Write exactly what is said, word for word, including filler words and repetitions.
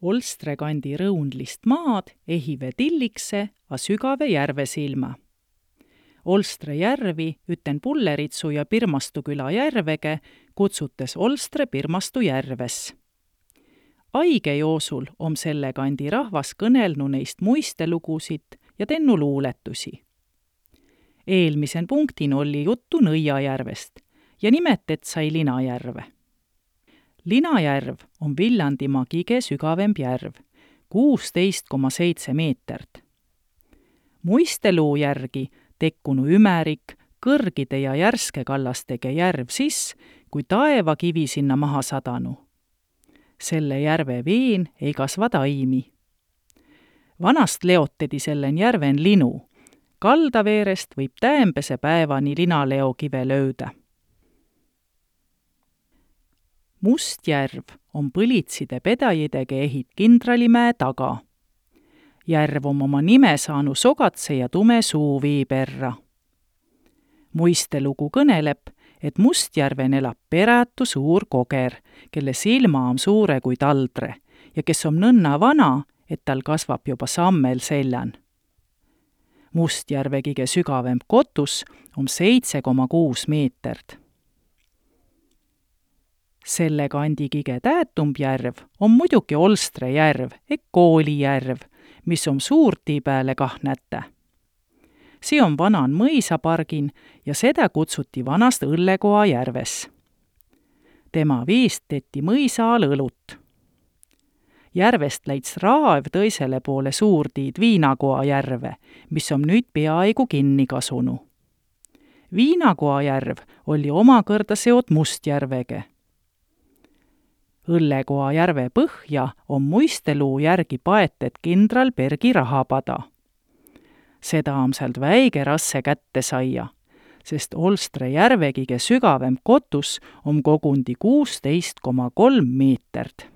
Olstre kandi rõundlist maad ehive tillikse a sügave järve silma. Olstre järvi üten Pulleritsu ja Pirmastu küla järvege kutsutes Olstre Pirmastu järves. Aige joosul om selle kandi rahvas kõnelnu neist muistelugusid ja tennu luuletusi. Eelmisen punktin oli juttu Nõiajärvest ja nimetet sai Linajärve. Linajärv on Viljandimaa kige sügavemb järv, kuusteist koma seitse meetert. Muisteluu järgi tekkunu ümerik, kõrgide ja järske kallastege järv sis, kui taeva kivi sinna maha sadanu. Selle järve veen ei kasva taimi. Vanast leotedi sellen järven linu. Kaldaveerest võib täämbese päevani linaleo kive löödä. Mustjärv on põlitside pedajidege ehit Kindralimäe taga. Järv on oma nime saanu sogatse ja tume suuvii perra. Muistelugu kõneleb, et Mustjärven elab perätu suur koger, kelle silma on suure kui taldre ja kes on nõnna vana, et tal kasvab juba sammel seljan. Mustjärve kige sügavemb kotus on seitse koma kuus meetert. Selle kandi kige täätumb järv on muidugi Olstre järv ehk Koolijärv, mis on suurti pääle kahnätä. See on vanan mõisapargin ja seda kutsuti vanast Õllekoa järves. Tema viist tetti mõisa all õlut. Järvest läits raav tõisele poole suurtiid Viinakoa järve, mis on nüüd peaaegu kinni kasunu. Viinakoa järv oli omakõrda seot Mustjärvege. Õllekoa järve põhja on muisteluu järgi paetet kindral Bergi rahapada. Seda on sealt väige rasse kätte saia, sest Olstre järvegige sügavem kotus on kogundi kuusteist koma kolm meetert.